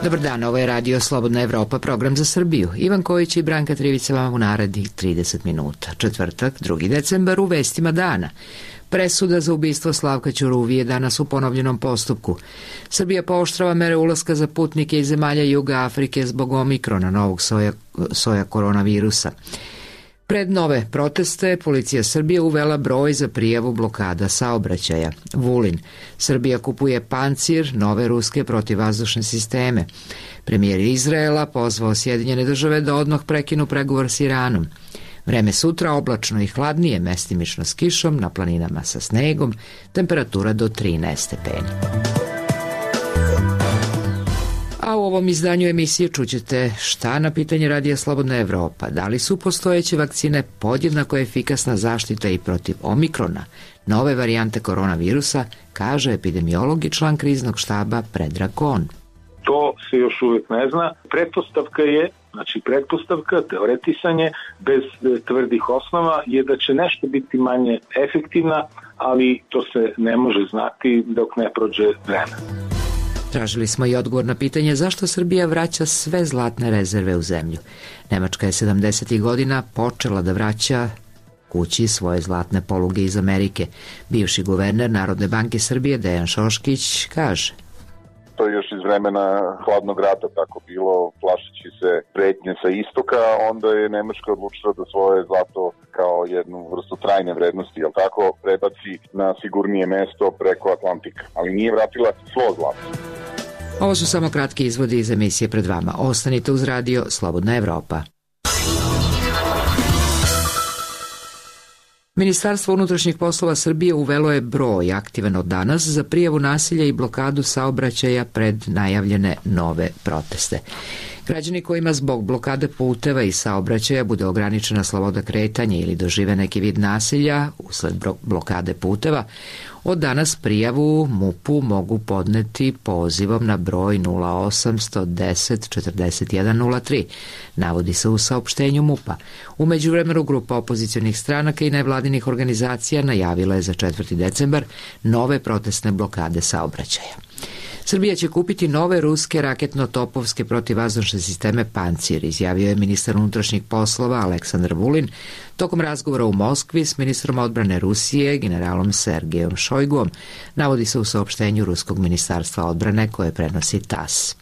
Dobar dan, ovo je Radio Slobodna Evropa, program za Srbiju. Ivan Kojić i Branka Trivica vam u narednih 30 minuta. Četvrtak, 2. decembar, u vestima dana. Presuda za ubistvo Slavka Ćuruvije danas u ponovljenom postupku. Srbija pooštrava mere ulaska za putnike iz zemalja Juga Afrike zbog omikrona, novog soja koronavirusa. Pred nove proteste, policija Srbije uvela broj za prijavu blokada saobraćaja. Vulin. Srbija kupuje pancir, nove ruske protivvazdušne sisteme. Premijer Izraela pozvao Sjedinjene države da odmah prekinu pregovor s Iranom. Vreme sutra oblačno i hladnije, mestimično s kišom, na planinama sa snegom, temperatura do 13 stepeni. A u ovom izdanju emisije čućete šta na pitanje Radija Slobodna Evropa. Da li su postojeće vakcine podjednako efikasna zaštita i protiv omikrona, nove varijante koronavirusa, kaže epidemiolog i član kriznog štaba Predrag Kon. To se još uvijek ne zna. Pretpostavka, teoretisanje, bez tvrdih osnova je da će nešto biti manje efektivna, ali to se ne može znati dok ne prođe vreme. Tražili smo i odgovor na pitanje zašto Srbija vraća sve zlatne rezerve u zemlju. Nemačka je 70. godina počela da vraća kući svoje zlatne poluge iz Amerike. Bivši guverner Narodne banke Srbije Dejan Šoškić kaže: To je još iz vremena hladnog rata tako bilo, plašeći se pretnje sa istoka, onda je Nemačka odlučila da svoje zlato kao jednu vrstu trajne vrednosti, jel tako, prebaci na sigurnije mesto preko Atlantika, ali nije vratila svo zlato. Ovo su samo kratki izvodi iz emisije pred vama. Ostanite uz Radio Slobodna Evropa. Ministarstvo unutrašnjih poslova Srbije uvelo je broj aktivan od danas za prijavu nasilja i blokadu saobraćaja pred najavljene nove proteste. Građani kojima zbog blokade puteva i saobraćaja bude ograničena sloboda kretanja ili dožive neki vid nasilja usled blokade puteva, od danas prijavu MUP-u mogu podneti pozivom na broj 0800 10 41 03, navodi se u saopštenju MUP-a. U međuvremenu grupa opozicionih stranaka i nevladinih organizacija najavila je za 4. decembar nove protestne blokade saobraćaja. Srbija će kupiti nove ruske raketno-topovske protivvazdušne sisteme Pancir, izjavio je ministar unutrašnjih poslova Aleksandar Vulin tokom razgovora u Moskvi s ministrom odbrane Rusije, generalom Sergejom Šojguom, navodi se u saopštenju Ruskog ministarstva odbrane koje prenosi TASS.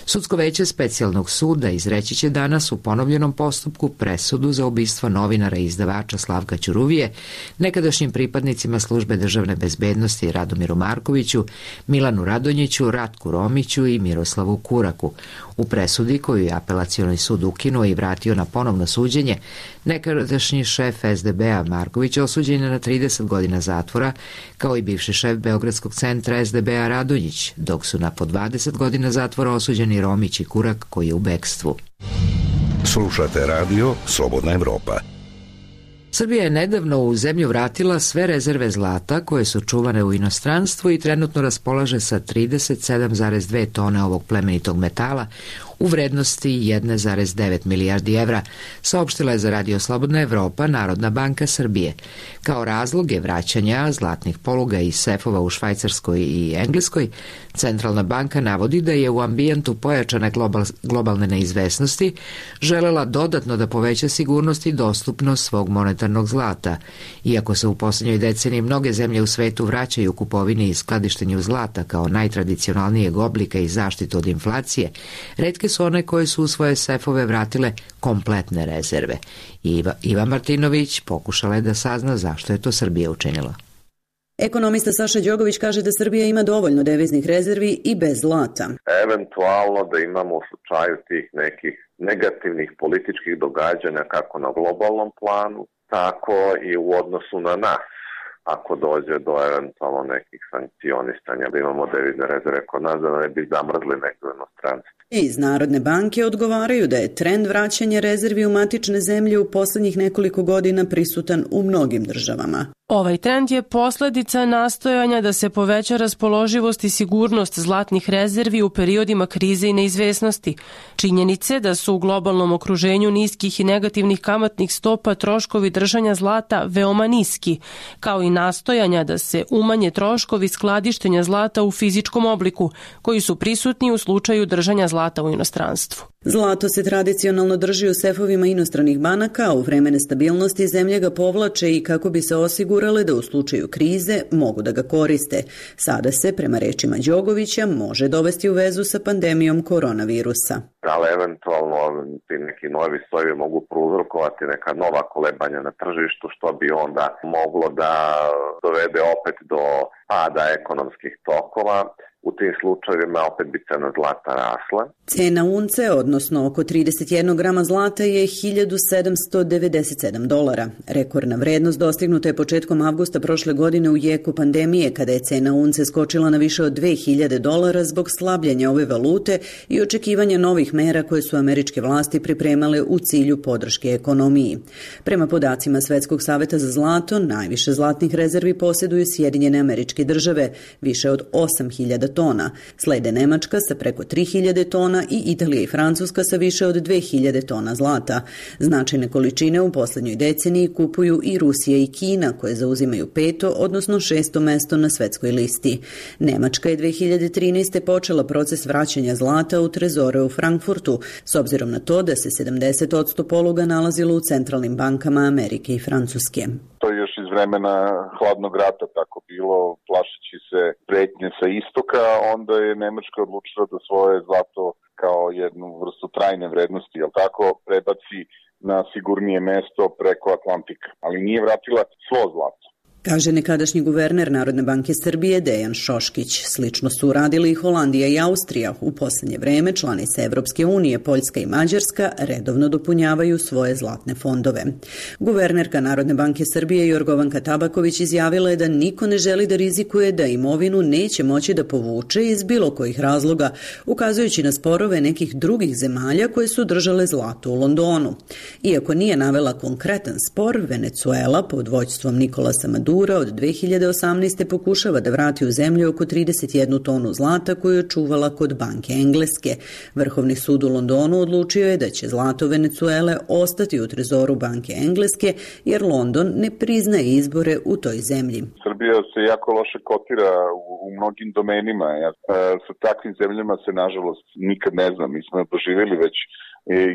Sudsko veće specijalnog suda izreći će danas u ponovljenom postupku presudu za ubistvo novinara i izdavača Slavka Ćuruvije, nekadašnjim pripadnicima službe državne bezbednosti Radomiru Markoviću, Milanu Radonjiću, Ratku Romiću i Miroslavu Kuraku. U presudi koju je apelacioni sud ukinuo i vratio na ponovno suđenje, nekadašnji šef SDB-a Marković osuđen je na 30 godina zatvora, kao i bivši šef Beogradskog centra SDB-a Radonjić, dok su na po 20 godina zatvora osuđeni Romić i Kurak koji je u bekstvu. Slušate Radio Slobodna Evropa. Srbija je nedavno u zemlju vratila sve rezerve zlata koje su čuvane u inostranstvu i trenutno raspolaže sa 37,2 tone ovog plemenitog metala u vrednosti 1,9 milijardi evra, saopštila je za Radio Slobodna Evropa Narodna banka Srbije. Kao razloge vraćanja zlatnih poluga i sefova u Švajcarskoj i Engleskoj, Centralna banka navodi da je u ambijentu pojačane globalne neizvesnosti želela dodatno da poveća sigurnost i dostupnost svog monetarnog zlata. Iako se u posljednjoj deceniji mnoge zemlje u svetu vraćaju kupovini i skladištenju zlata kao najtradicionalnijeg oblika i zaštitu od inflacije, retke su one koje su u svoje sefove vratile kompletne rezerve. Iva Martinović pokušala je da sazna zašto je to Srbija učinila. Ekonomista Saša Đogović kaže da Srbija ima dovoljno deviznih rezervi i bez zlata. Eventualno da imamo u slučaju tih nekih negativnih političkih događanja kako na globalnom planu, tako i u odnosu na nas. Ako dođe do eventualno nekih sankcionisanja, da imamo devizne rezerve kod nas, da ne bi zamrzli neko inostranstvo. Iz Narodne banke odgovaraju da je trend vraćanja rezervi u matične zemlje u poslednjih nekoliko godina prisutan u mnogim državama. Ovaj trend je posledica nastojanja da se poveća raspoloživost i sigurnost zlatnih rezervi u periodima krize i neizvesnosti. Činjenice da su u globalnom okruženju niskih i negativnih kamatnih stopa troškovi držanja zlata veoma niski, kao i nastojanja da se umanje troškovi skladištenja zlata u fizičkom obliku, koji su prisutni u slučaju držanja zlata u inostranstvu. Zlato se tradicionalno drži u sefovima inostranih banaka, a u vreme nestabilnosti zemlje ga povlače i kako bi se osigurale da u slučaju krize mogu da ga koriste. Sada se, prema rečima Đogovića, može dovesti u vezu sa pandemijom koronavirusa. Ali eventualno ti neki novi sojevi mogu prouzrokovati neka nova kolebanja na tržištu, što bi onda moglo da dovede opet do pada ekonomskih tokova. U tim slučajevima opet bi cena zlata rasla. Cena unce, odnosno oko 31 grama zlata, je $1.797. Rekordna vrednost dostignuta je početkom avgusta prošle godine u jeku pandemije, kada je cena unce skočila na više od $2.000 zbog slabljenja ove valute i očekivanja novih mera koje su američke vlasti pripremale u cilju podrške ekonomiji. Prema podacima Svetskog saveta za zlato, najviše zlatnih rezervi posjeduju Sjedinjene Američke Države, više od 8.000 tona. Slede Nemačka sa preko 3.000 tona i Italija i Francuska sa više od 2.000 tona zlata. Značajne količine u poslednjoj deceniji kupuju i Rusija i Kina, koje zauzimaju 5., odnosno 6. mesto na svetskoj listi. Nemačka je 2013. počela proces vraćanja zlata u trezore u Frankfurtu, s obzirom na to da se 70% poluga nalazilo u centralnim bankama Amerike i Francuske. To je još iz vremena hladnog rata tako bilo, plašeći se pretnje sa istoka, onda je Nemačka odlučila da svoje zlato kao jednu vrstu trajne vrednosti, jel tako, prebaci na sigurnije mesto preko Atlantika, ali nije vratila svo zlato. Kaže nekadašnji guverner Narodne banke Srbije Dejan Šoškić. Slično su uradili i Holandija i Austrija. U poslednje vreme članice Evropske unije, Poljska i Mađarska redovno dopunjavaju svoje zlatne fondove. Guvernerka Narodne banke Srbije Jorgovanka Tabaković izjavila je da niko ne želi da rizikuje da imovinu neće moći da povuče iz bilo kojih razloga, ukazujući na sporove nekih drugih zemalja koje su držale zlato u Londonu. Iako nije navela konkretan spor, Venecuela pod vođstvom Nikolasa Madura od 2018. pokušava da vrati u zemlju oko 31 tonu zlata koju je čuvala kod banke Engleske. Vrhovni sud u Londonu odlučio je da će zlato Venecuele ostati u trezoru banke Engleske, jer London ne priznaje izbore u toj zemlji. Srbija se jako loše kotira u mnogim domenima. Sa takvim zemljama se, nažalost, nikad ne znam. Mi smo doživjeli već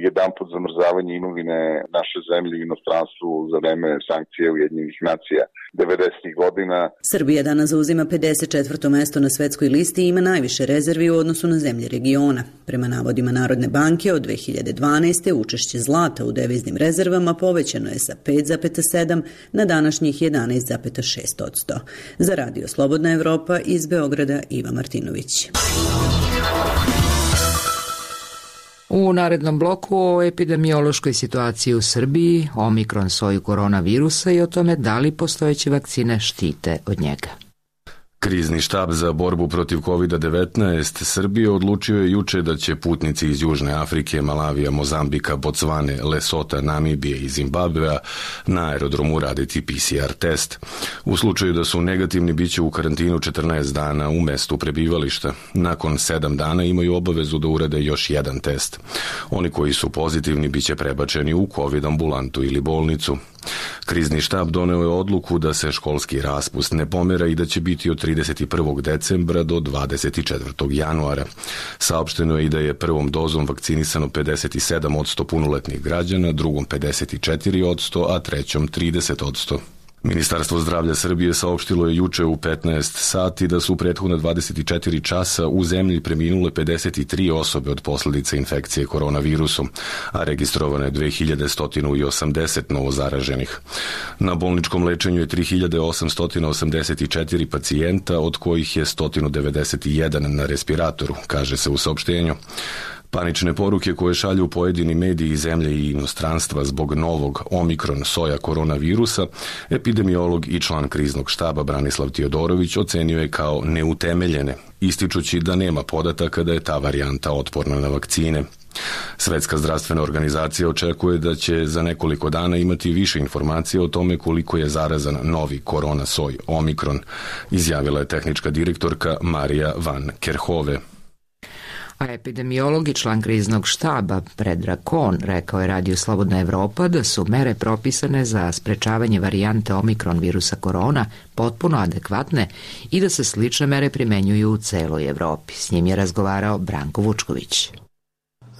jedanput zamrzavanje imovine naše zemlje u inostranstvu za vreme sankcije Ujedinjenih nacija 90. godina. Srbija danas zauzima 54. mesto na svetskoj listi i ima najviše rezervi u odnosu na zemlje regiona. Prema navodima Narodne banke, od 2012. učešće zlata u deviznim rezervama povećano je sa 5,7 na današnjih 11,6%. Za Radio Slobodna Evropa iz Beograda Iva Martinović. U narednom bloku o epidemiološkoj situaciji u Srbiji, omikron soju koronavirusa i o tome da li postojeće vakcine štite od njega. Krizni štab za borbu protiv COVID-19 Srbije odlučio je juče da će putnici iz Južne Afrike, Malavija, Mozambika, Bocvane, Lesota, Namibije i Zimbabvea na aerodromu raditi PCR test. U slučaju da su negativni, biće u karantinu 14 dana u mestu prebivališta. Nakon 7 dana imaju obavezu da urade još jedan test. Oni koji su pozitivni biće prebačeni u COVID ambulantu ili bolnicu. Krizni štab doneo je odluku da se školski raspust ne pomera i da će biti od 31. decembra do 24. januara. Saopšteno je i da je prvom dozom vakcinisano 57% punoletnih građana, drugom 54%, a trećom 30%. Ministarstvo zdravlja Srbije saopštilo je juče u 15 sati da su prethodna 24 časa u zemlji preminule 53 osobe od posledica infekcije koronavirusom, a registrovano je 2180 novozaraženih. Na bolničkom lečenju je 3884 pacijenta, od kojih je 191 na respiratoru, kaže se u saopštenju. Panične poruke koje šalju pojedini mediji zemlje i inostranstva zbog novog omikron soja koronavirusa, epidemiolog i član kriznog štaba Branislav Tiodorović ocenio je kao neutemeljene, ističući da nema podataka da je ta varijanta otporna na vakcine. Svetska zdravstvena organizacija očekuje da će za nekoliko dana imati više informacija o tome koliko je zarazan novi korona soj omikron, izjavila je tehnička direktorka Marija van Kerhove. A epidemiolog i član kriznog štaba Predrag Kon rekao je Radiju Slobodna Evropa da su mere propisane za sprečavanje varijante omikron virusa korona potpuno adekvatne i da se slične mere primenjuju u celoj Evropi. S njim je razgovarao Branko Vučković.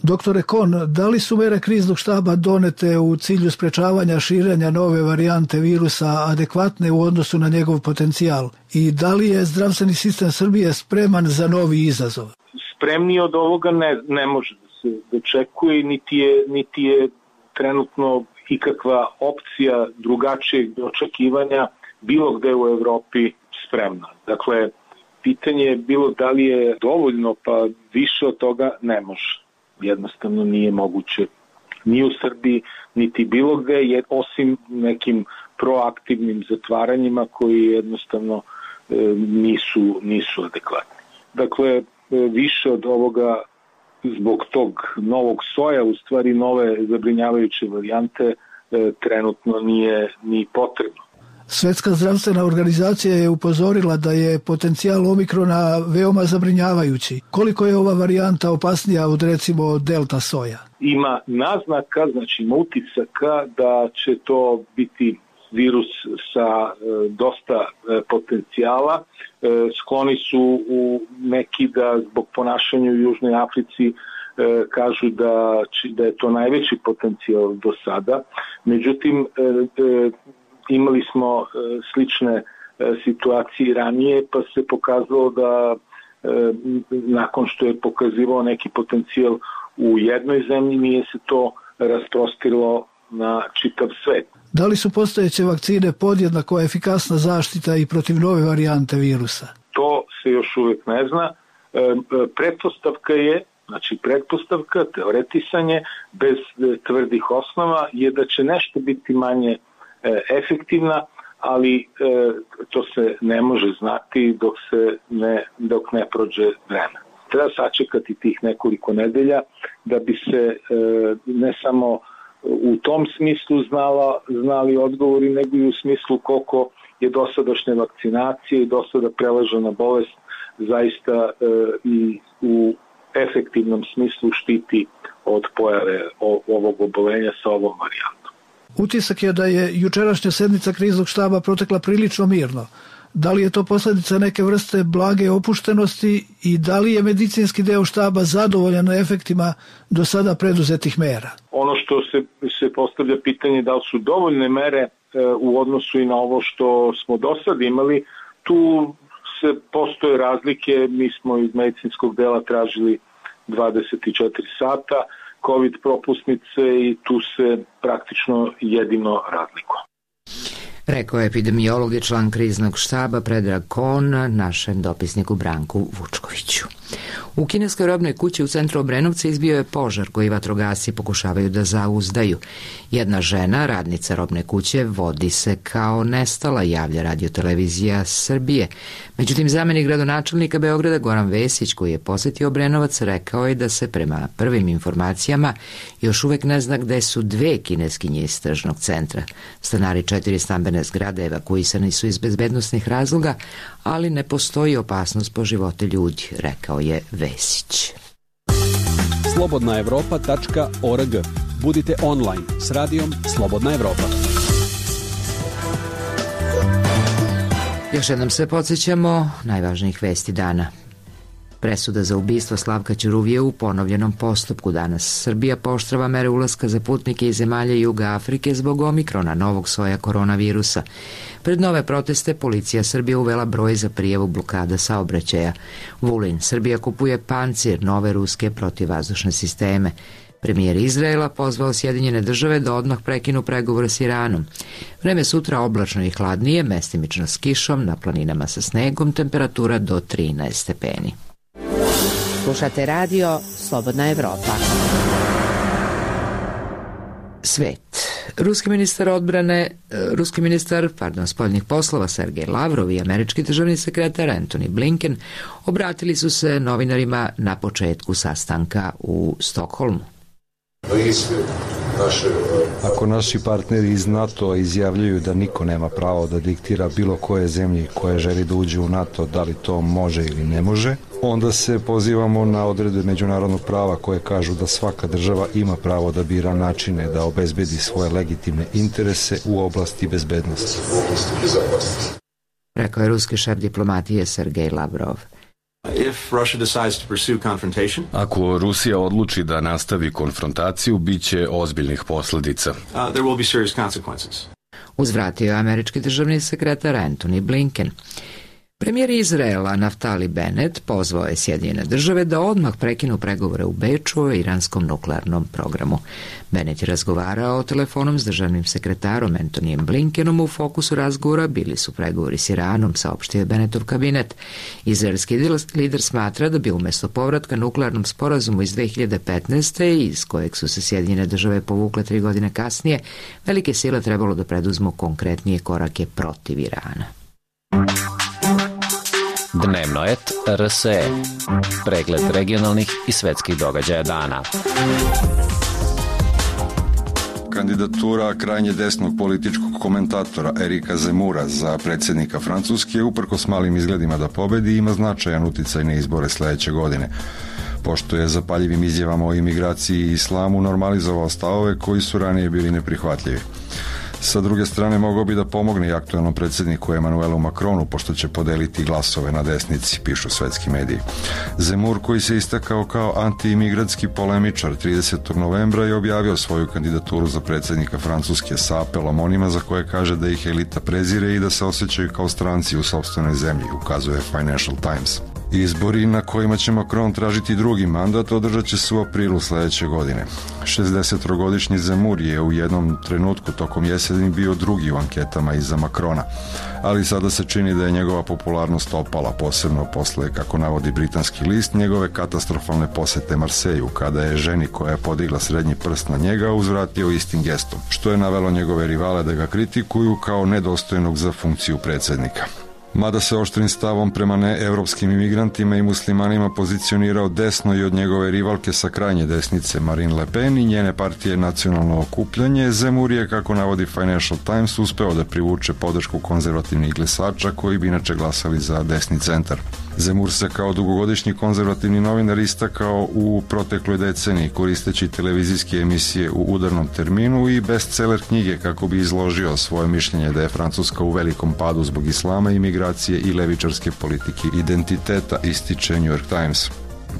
Doktore Kon, da li su mere kriznog štaba donete u cilju sprečavanja širenja nove varijante virusa adekvatne u odnosu na njegov potencijal? I da li je zdravstveni sistem Srbije spreman za novi izazov? Spremniji od ovoga ne može da se dočekuje, niti je trenutno ikakva opcija drugačijeg očekivanja bilo gde u Evropi spremna. Dakle, pitanje je bilo da li je dovoljno, pa više od toga ne može. Jednostavno nije moguće ni u Srbiji, niti bilo gde, osim nekim proaktivnim zatvaranjima koji jednostavno nisu adekvatni. Dakle, više od ovoga zbog tog novog soja, u stvari nove zabrinjavajuće varijante, trenutno nije ni potrebno. Svetska zdravstvena organizacija je upozorila da je potencijal omikrona veoma zabrinjavajući. Koliko je ova varijanta opasnija od recimo delta soja? Ima naznaka, znači ima utisaka da će to biti virus sa dosta potencijala. Skloni su neki da zbog ponašanja u Južnoj Africi kažu da je to najveći potencijal do sada. Međutim, imali smo slične situacije ranije, pa se pokazalo da nakon što je pokazivao neki potencijal u jednoj zemlji, nije se to rasprostilo na čitav svet. Da li su postojeće vakcine podjednako efikasna zaštita i protiv nove varijante virusa? To se još uvijek ne zna. Pretpostavka, teoretisanje, bez tvrdih osnova je da će nešto biti manje efektivna, ali to se ne može znati dok ne prođe vreme. Treba sačekati tih nekoliko nedelja da bi se ne samo u tom smislu znali odgovori, nego i u smislu koliko je dosadašnja vakcinacija i dosada prelažena bolest zaista i u efektivnom smislu štiti od pojave ovog obolenja sa ovom varijantom. Utisak je da je jučerašnja sednica kriznog štaba protekla prilično mirno. Da li je to posljedica neke vrste blage opuštenosti i da li je medicinski deo štaba zadovoljan efektima do sada preduzetih mera? Ono što se postavlja pitanje da li su dovoljne mere u odnosu i na ovo što smo do sad imali, tu postoje razlike. Mi smo iz medicinskog dela tražili 24 sata COVID propusnice i tu se praktično jedino razlikuje. Rekao je epidemiolog i član kriznog štaba Predrag Kon našem dopisniku Branku Vučkoviću. U kineskoj robnoj kući u centru Obrenovca izbio je požar koji vatrogasci pokušavaju da zauzdaju. Jedna žena, radnica robne kuće, vodi se kao nestala, javlja Radio-televizija Srbije. Međutim, zamenik gradonačelnika Beograda Goran Vesić, koji je posetio Obrenovac, rekao je da se prema prvim informacijama još uvek ne zna gde su dve kineskinje iz tržnog centra. Stanari 4 stambene zgrade evakuisani su iz bezbednosnih razloga, ali ne postoji opasnost po živote ljudi, rekao je Vesić. slobodnaevropa.org. Budite online s radijom Slobodna Evropa. Još jednom se podsjećamo najvažnijih vesti dana. Presuda za ubistvo Slavka Ćuruvije u ponovljenom postupku danas. Srbija pooštrava mere ulaska za putnike iz zemalja Juga Afrike zbog omikrona, novog soja koronavirusa. Pred nove proteste policija Srbije uvela broj za prijavu blokada saobraćaja. Vulin, Srbija kupuje pancir, nove ruske protivvazdušne sisteme. Premijer Izraela pozvao Sjedinjene države da odmah prekinu pregovore s Iranom. Vreme sutra oblačno i hladnije, mestimično s kišom, na planinama sa snegom, temperatura do 13 stepeni. Slušate radio Slobodna Evropa. Svet. Ruski ministar spoljnih poslova Sergej Lavrov i američki državni sekretar Antony Blinken obratili su se novinarima na početku sastanka u Stokholmu. Ako naši partneri iz NATO izjavljuju da niko nema pravo da diktira bilo koje zemlji koje želi da uđe u NATO, da li to može ili ne može, onda se pozivamo na odredbe međunarodnog prava koje kažu da svaka država ima pravo da bira načine da obezbedi svoje legitimne interese u oblasti bezbednosti. Rekao je ruski šef diplomatije Sergej Lavrov. Ako Rusija odluči da nastavi konfrontaciju, bit će ozbiljnih posledica. Uzvratio je američki državni sekretar Antony Blinken. Premijer Izraela Naftali Bennett pozvao je Sjedinjene države da odmah prekinu pregovore u Beču o iranskom nuklearnom programu. Bennett je razgovarao telefonom s državnim sekretarom Antonijem Blinkenom. U fokusu razgovora bili su pregovori s Iranom, saopštio je Bennettov kabinet. Izraelski lider smatra da bi umjesto povratka nuklearnom sporazumu iz 2015. iz kojeg su se Sjedinjene države povukle 3 godine kasnije, velike sile trebalo da preduzmu konkretnije korake protiv Irana. Dnevno et RSE. Pregled regionalnih i svetskih događaja dana. Kandidatura krajnje desnog političkog komentatora Erika Zemura za predsjednika Francuske, uprkos malim izgledima da pobedi, ima značajan uticaj na izbore sledeće godine, pošto je zapaljivim izjavama o imigraciji i islamu normalizovao stavove koji su ranije bili neprihvatljivi. Sa druge strane, mogao bi da pomogne i aktuelnom predsjedniku Emmanuelu Macronu, pošto će podeliti glasove na desnici, pišu svetski mediji. Zemur, koji se istakao kao anti-imigratski polemičar, 30. novembra je objavio svoju kandidaturu za predsjednika Francuske sa apelom onima za koje kaže da ih elita prezire i da se osjećaju kao stranci u sopstvenoj zemlji, ukazuje Financial Times. Izbori na kojima će Macron tražiti drugi mandat održat će se u aprilu sledeće godine. 60-godišnji Zemur je u jednom trenutku tokom jeseni bio drugi u anketama iza Macrona, ali sada se čini da je njegova popularnost opala, posebno posle, kako navodi britanski list, njegove katastrofalne posete Marseju, kada je ženi koja je podigla srednji prst na njega uzvratio istim gestom, što je navelo njegove rivale da ga kritikuju kao nedostojnog za funkciju predsjednika. Mada se oštrim stavom prema neevropskim imigrantima i muslimanima pozicionirao desno i od njegove rivalke sa krajnje desnice Marine Le Pen i njene partije Nacionalno okupljanje, Zemur je, kako navodi Financial Times, uspeo da privuče podršku konzervativnih glasača koji bi inače glasali za desni centar. Zemur se kao dugogodišnji konzervativni novinar istakao u protekloj deceniji koristeći televizijske emisije u udarnom terminu i bestseller knjige kako bi izložio svoje mišljenje da je Francuska u velikom padu zbog islama, imigracije i levičarske politike identiteta, ističe New York Times.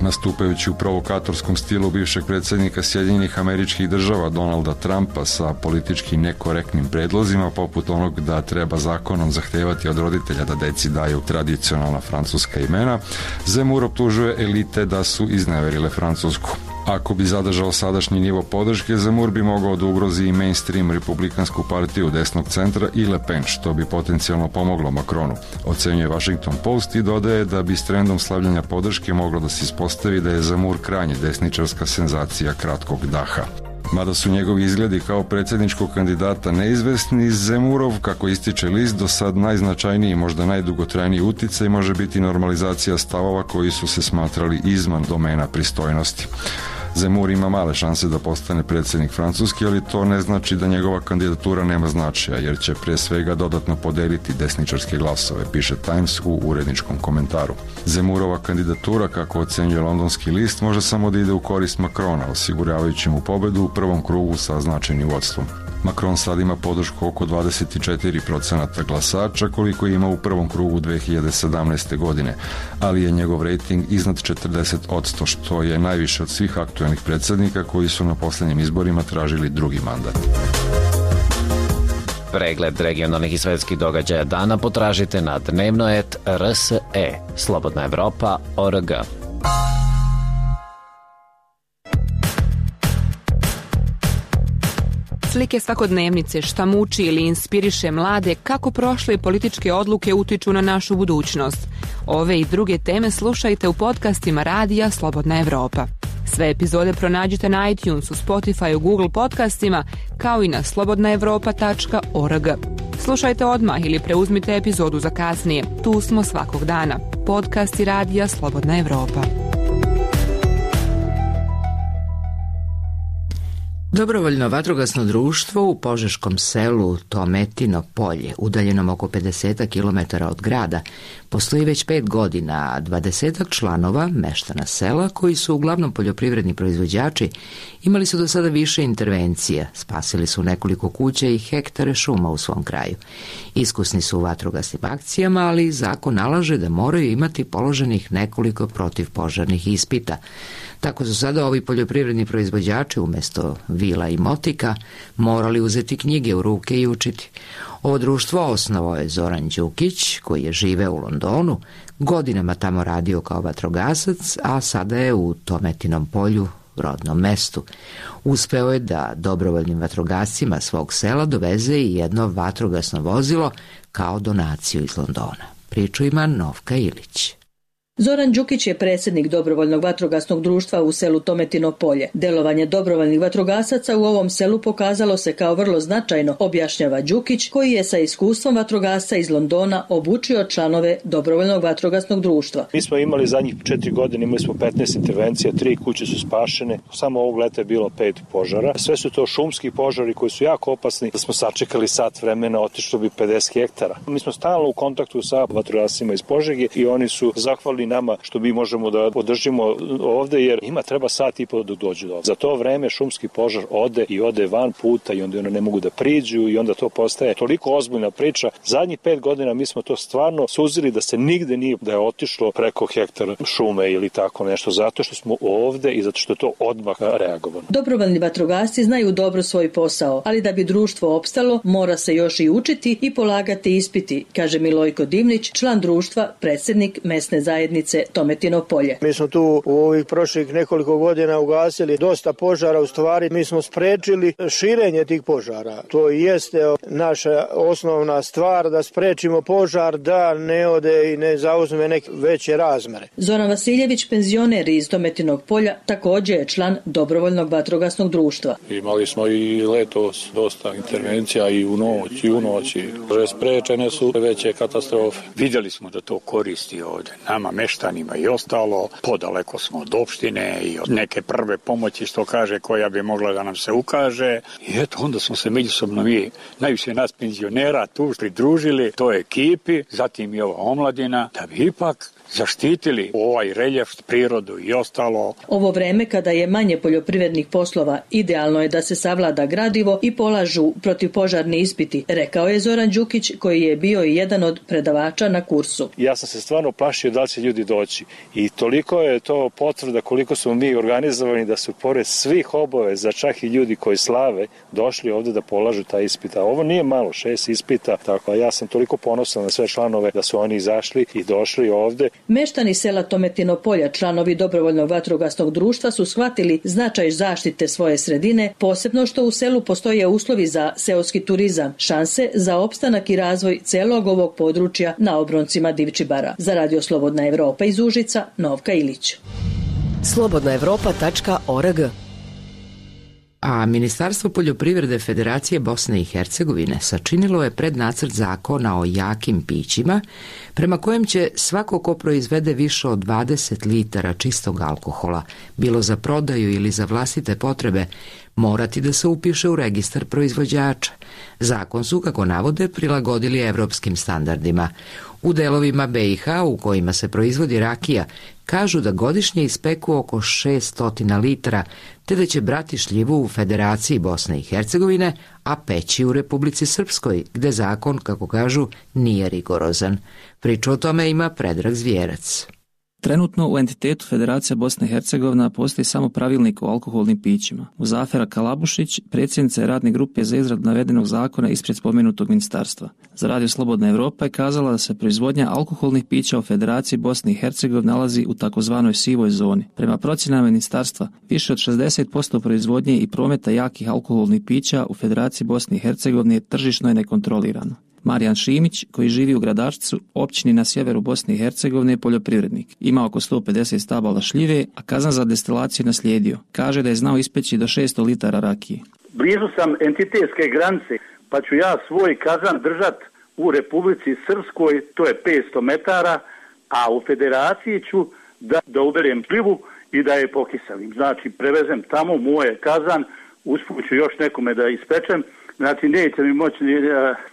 Nastupajući u provokatorskom stilu bivšeg predsjednika Sjedinjenih Američkih Država Donalda Trumpa sa politički nekorektnim predlozima poput onog da treba zakonom zahtevati od roditelja da deci daju tradicionalna francuska imena, Zemur optužuje elite da su izneverile Francusku. Ako bi zadržao sadašnji nivo podrške, Zemur bi mogao da ugrozi i mainstream republikansku partiju desnog centra i Le Pen, što bi potencijalno pomoglo Macronu, ocenjuje Washington Post i dodaje da bi s trendom slavljanja podrške moglo da se ispostavi da je Zemur krajnje desničarska senzacija kratkog daha. Mada su njegovi izgledi kao predsjedničkog kandidata neizvesni, Zemurov, kako ističe list, do sad najznačajniji i možda najdugotrajniji uticaj može biti normalizacija stavova koji su se smatrali izvan domena pristojnosti. Zemur ima male šanse da postane predsjednik Francuske, ali to ne znači da njegova kandidatura nema značaja, jer će pre svega dodatno podeliti desničarske glasove, piše Times u uredničkom komentaru. Zemurova kandidatura, kako ocenjuje londonski list, može samo da ide u korist Macrona, osiguravajući mu pobedu u prvom krugu sa značajnim vodstvom. Macron sad ima podršku oko 24% glasača koliko ima u prvom krugu 2017. godine, ali je njegov rejting iznad 40%, što je najviše od svih aktuelnih predsjednika koji su na posljednjim izborima tražili drugi mandat. Pregled regionalnih i svetskih događaja dana potražite na dnevno.rs.e, Slobodna Evropa.org. Slike svakodnevnice, šta muči ili inspiriše mlade, kako prošle političke odluke utiču na našu budućnost. Ove i druge teme slušajte u podcastima radija Slobodna Evropa. Sve epizode pronađite na iTunesu, Spotifyu, Google podcastima, kao i na slobodnaevropa.org. Slušajte odmah ili preuzmite epizodu za kasnije. Tu smo svakog dana. Podcasti radija Slobodna Evropa. Dobrovoljno vatrogasno društvo u požeškom selu Tometino polje, udaljenom oko 50 km od grada, postoji već 5 godina, a 20 članova meštana sela, koji su uglavnom poljoprivredni proizvođači, imali su do sada više intervencija, spasili su nekoliko kuća i hektare šuma u svom kraju. Iskusni su u vatrogasnim akcijama, ali zakon nalaže da moraju imati položenih nekoliko protivpožarnih ispita. Tako su sada ovi poljoprivredni proizvođači umjesto vila i motika morali uzeti knjige u ruke i učiti. Ovo društvo osnovao je Zoran Đukić, koji je živeo u Londonu, godinama tamo radio kao vatrogasac, a sada je u Tometinom polju, rodnom mestu. Uspeo je da dobrovoljnim vatrogascima svog sela doveze i jedno vatrogasno vozilo kao donaciju iz Londona. Priču ima Novka Ilić. Zoran Đukić je predsjednik dobrovoljnog vatrogasnog društva u selu Tometino polje. Delovanje dobrovoljnih vatrogasaca u ovom selu pokazalo se kao vrlo značajno, objašnjava Đukić, koji je sa iskustvom vatrogasca iz Londona obučio članove dobrovoljnog vatrogasnog društva. Mi smo imali zadnjih 4 godine, imali smo 15 intervencija, 3 kuće su spašene, samo ovog leta je bilo 5 požara. Sve su to šumski požari koji su jako opasni. Da smo sačekali sat vremena, otišlo bi 50 hektara. Mi smo stalno u kontaktu sa vatrogascima iz Požege i oni su zahvalni nama što mi možemo da podržimo ovde, jer njima treba sat i po da dođu do ovde. Za to vreme šumski požar ode van puta i onda ne mogu da priđu i onda to postaje toliko ozbiljna priča. Zadnjih 5 godina mi smo to stvarno suzili da se nigde nije da je otišlo preko hektara šume ili tako nešto, zato što smo ovde i zato što je to odmah reagovano. Dobrovoljni vatrogasci znaju dobro svoj posao, ali da bi društvo opstalo, mora se još i učiti i polagati ispiti, kaže Milojko Dimnić, član društva, predsjednik mesne zajednice Tometino polje. Mi smo tu u ovih prošlih nekoliko godina ugasili dosta požara, u stvari mi smo sprečili širenje tih požara. To jeste naša osnovna stvar, da sprečimo požar da ne ode i ne zauzme neke veće razmere. Zoran Vasiljević, penzioner iz Tometinog polja, također je član dobrovoljnog vatrogasnog društva. Imali smo i letos dosta intervencija i u noć. Sprečene su veće katastrofe. Vidjeli smo da to koristi ovdje. Nama meštanima i ostalo, podaleko smo od opštine i od neke prve pomoći, što kaže, koja bi mogla da nam se ukaže. I eto, onda smo se međusobno mi, najviše nas penzionera, tu pridružili toj ekipi, zatim i ova omladina, da bi ipak zaštitili ovaj reljef, prirodu i ostalo. Ovo vreme kada je manje poljoprivrednih poslova, idealno je da se savlada gradivo i polažu protivpožarni ispiti, rekao je Zoran Đukić, koji je bio i jedan od predavača na kursu. Ja sam se stvarno plašio da li će ljudi doći i toliko je to potvrda koliko smo mi organizovani da su pored svih obaveza, čak i ljudi koji slave, došli ovde da polažu taj ispit. A ovo nije malo, 6 ispita, tako ja sam toliko ponosan na sve članove da su oni izašli i došli ovde. Meštani sela Tometino polja, članovi dobrovoljnog vatrogasnog društva, su shvatili značaj zaštite svoje sredine, posebno što u selu postoje uslovi za seoski turizam, šanse za opstanak i razvoj celog ovog područja na obroncima Divčibara. Za Radio Slobodna Evropa iz Užica, Novka Ilić. slobodnaevropa.org. A Ministarstvo poljoprivrede Federacije Bosne i Hercegovine sačinilo je prednacrt zakona o jakim pićima, prema kojem će svako ko proizvede više od 20 litara čistog alkohola, bilo za prodaju ili za vlastite potrebe, morati da se upiše u registar proizvođača. Zakon su, kako navode, prilagodili evropskim standardima. U delovima BiH u kojima se proizvodi rakija, kažu da godišnje ispeku oko 600 litara, te da će brati šljivu u Federaciji Bosne i Hercegovine, a peći u Republici Srpskoj, gde zakon, kako kažu, nije rigorozan. Priču o tome ima Predrag Zvijerac. Trenutno u entitetu Federacija Bosne i Hercegovina postoji samo pravilnik o alkoholnim pićima. Muzafera Kalabušić, predsjednica je radne grupe za izradu navedenog zakona ispred spomenutog ministarstva. Za Radio Slobodna Evropa je kazala da se proizvodnja alkoholnih pića u Federaciji Bosne i Hercegovine nalazi u takozvanoj sivoj zoni. Prema procjenama ministarstva, više od 60% proizvodnje i prometa jakih alkoholnih pića u Federaciji Bosne i Hercegovine tržišno je nekontrolirano. Marijan Šimić, koji živi u Gradačcu, općini na sjeveru Bosne i Hercegovine, je poljoprivrednik. Ima oko 150 stabala šljive, a kazan za destilaciju naslijedio. Kaže da je znao ispeći do 600 litara rakije. Blizu sam entitetske granice, pa ću ja svoj kazan držat u Republici Srpskoj, to je 500 metara, a u Federaciji ću da uberem šljivu i da je pokiselim. Znači, prevezem tamo moje kazan usput ću još nekome da ispečem, znači neće mi moći,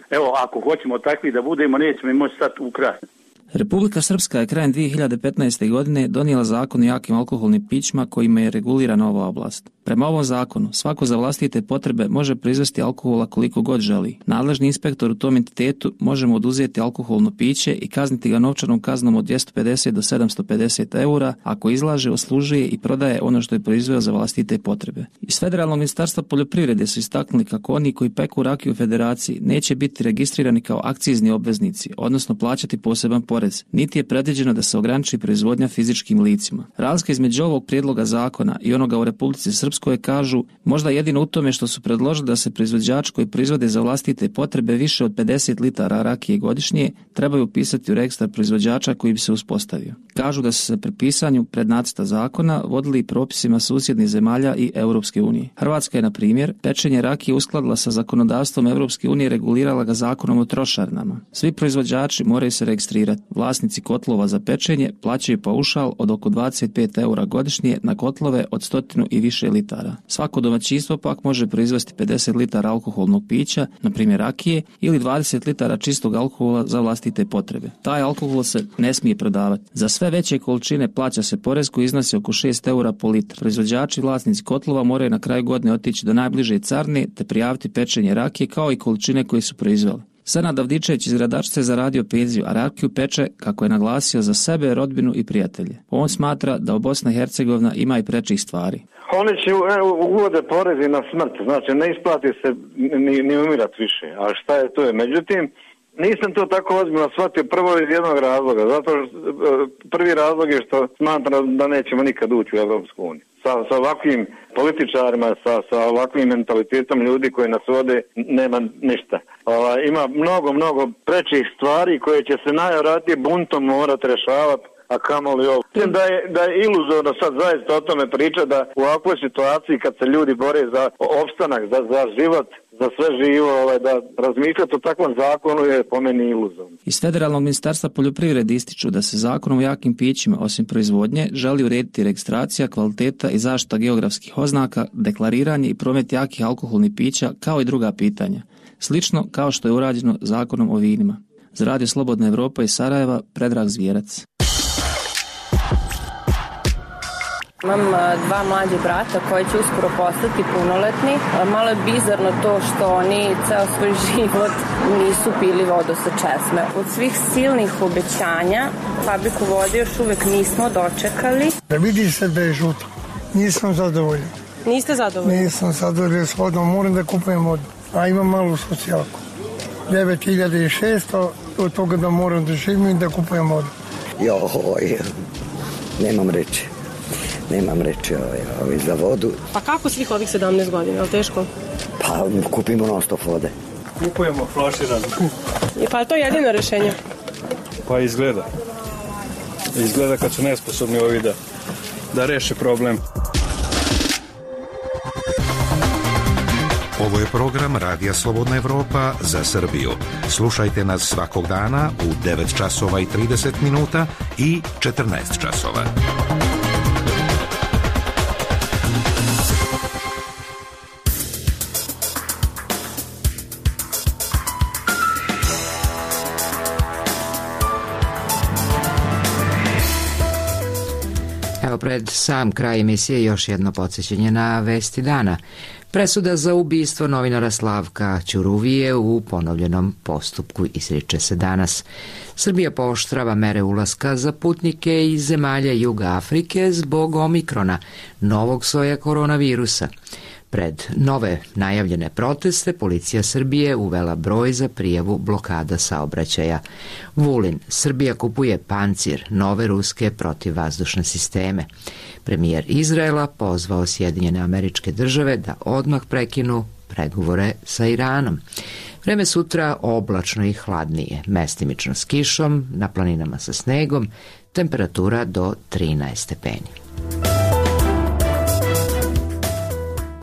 evo ako hoćemo takvi da budemo, neće mi moći stati u kraj. Republika Srpska je krajem 2015. godine donijela zakon o jakim alkoholnim pićima kojima je regulirana ova oblast. Prema ovom zakonu, svako za vlastite potrebe može proizvesti alkohola koliko god želi. Nadležni inspektor u tom entitetu može mu oduzeti alkoholno piće i kazniti ga novčanom kaznom od 250 do 750 eura ako izlaže, oslužuje i prodaje ono što je proizveo za vlastite potrebe. Iz Federalnog ministarstva poljoprivrede su istaknuli kako oni koji peku rakiju u federaciji neće biti registrirani kao akcizni obveznici, odnosno plaćati poseban porez, niti je predviđeno da se ograniči proizvodnja fizičkim licima. Razlika između ovog prijedloga zakona i onoga u Republici Srpskoj kažu možda jedino u tome što su predložili da se proizvođači koji proizvode za vlastite potrebe više od 50 litara rakije godišnje trebaju upisati u registar proizvođača koji bi se uspostavio. Kažu da su se pri pisanju prednacrta zakona vodili propisima susjednih zemalja i Europske unije. Hrvatska je, na primjer, pečenje rakije uskladila sa zakonodavstvom Europske unije, regulirala ga zakonom o trošarinama. Svi proizvođači moraju se registrirati. Vlasnici kotlova za pečenje plaćaju paušal od oko 25 eura godišnje na kotlove od 100 i više litara. Svako domaćinstvo pak može proizvesti 50 litara alkoholnog pića, na primjer rakije, ili 20 litara čistog alkohola za vlastite potrebe. Taj alkohol se ne smije prodavati. Za sve veće količine plaća se porez koji iznosi oko 6 eura po litru. Proizvođači i vlasnici kotlova moraju na kraju godine otići do najbliže carine te prijaviti pečenje rakije kao i količine koje su proizveli. Senad Avdičević iz Gradačca je zaradio penziju, a rakiju peče, kako je naglasio, za sebe, rodbinu i prijatelje. On smatra da u Bosna i Hercegovina ima i prečih stvari. Oni će uvode porezi na smrt, znači ne isplati se ni umirat više, a šta je to je. Međutim, nisam to tako ozbiljno shvatio prvo iz jednog razloga, zato prvi razlog je što smatram da nećemo nikad ući u Evropsku uniju. Sa ovakvim političarima, sa ovakvim mentalitetom ljudi koji nas vode, nema ništa. Ima mnogo prečih stvari koje će se najvjerojatnije buntom morati rješavati, a kamoli ovo. Mislim da je iluzorno sad zaista o tome priča da u ovakvoj situaciji kad se ljudi bore za opstanak, za život, za sve živo, da razmišljati o takvom zakonu je po meni iluzorno. Iz Federalnog ministarstva poljoprivrede ističu da se zakonom o jakim pićima, osim proizvodnje, želi urediti registracija, kvaliteta i zaštita geografskih oznaka, deklariranje i promet jakih alkoholnih pića, kao i druga pitanja. Slično kao što je urađeno zakonom o vinima. Za Radio Slobodna Evropa iz Sarajeva, Predrag Zvijerac. Imam dva mlađe brata koji će uskoro postati punoletni. Malo je bizarno to što oni ceo svoj život nisu pili vodu sa česme. Od svih silnih obećanja fabriku vode još uvek nismo dočekali. Vidi se da je žuto. Nisam zadovoljan. Niste zadovoljni? Nisam zadovoljan s vodom. Moram da kupujem vodu. A imam malu socijalku. 9600 od toga da moram da živim i da kupujem vodu. Nemam reći za vodu. Pa kako svih ovih 17 godina, je li teško? Pa kupimo non stop vode. Kupujemo flaširano. Pa je to jedino rešenje? Pa izgleda. Izgleda kad su nesposobni ovi da reše problem. Ovo je program Radija Slobodna Evropa za Srbiju. Slušajte nas svakog dana u 9 časova i 30 minuta i 14 časova. Evo pred sam kraj emisije još jedno podsjećanje na vesti dana. Presuda za ubistvo novinara Slavka Ćuruvije u ponovljenom postupku izriče se danas. Srbija pooštrava mere ulaska za putnike iz zemalja Juga Afrike zbog omikrona, novog soja koronavirusa. Pred nove najavljene proteste policija Srbije uvela broj za prijavu blokada saobraćaja. Vulin, Srbija kupuje pancir, nove ruske protivvazdušne sisteme. Premijer Izraela pozvao Sjedinjene Američke Države da odmah prekinu pregovore sa Iranom. Vreme sutra oblačno i hladnije, mestimično s kišom, na planinama sa snegom, temperatura do 13 stepeni.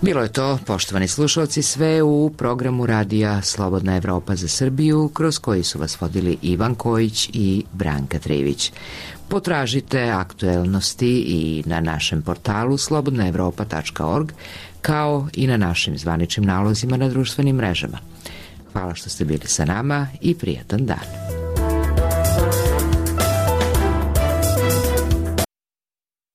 Bilo je to, poštovani slušalci, sve u programu Radija Slobodna Evropa za Srbiju, kroz koji su vas vodili Ivan Kojić i Branka Trivić. Potražite aktuelnosti i na našem portalu slobodnaevropa.org, kao i na našim zvaničnim nalozima na društvenim mrežama. Hvala što ste bili sa nama i prijatan dan.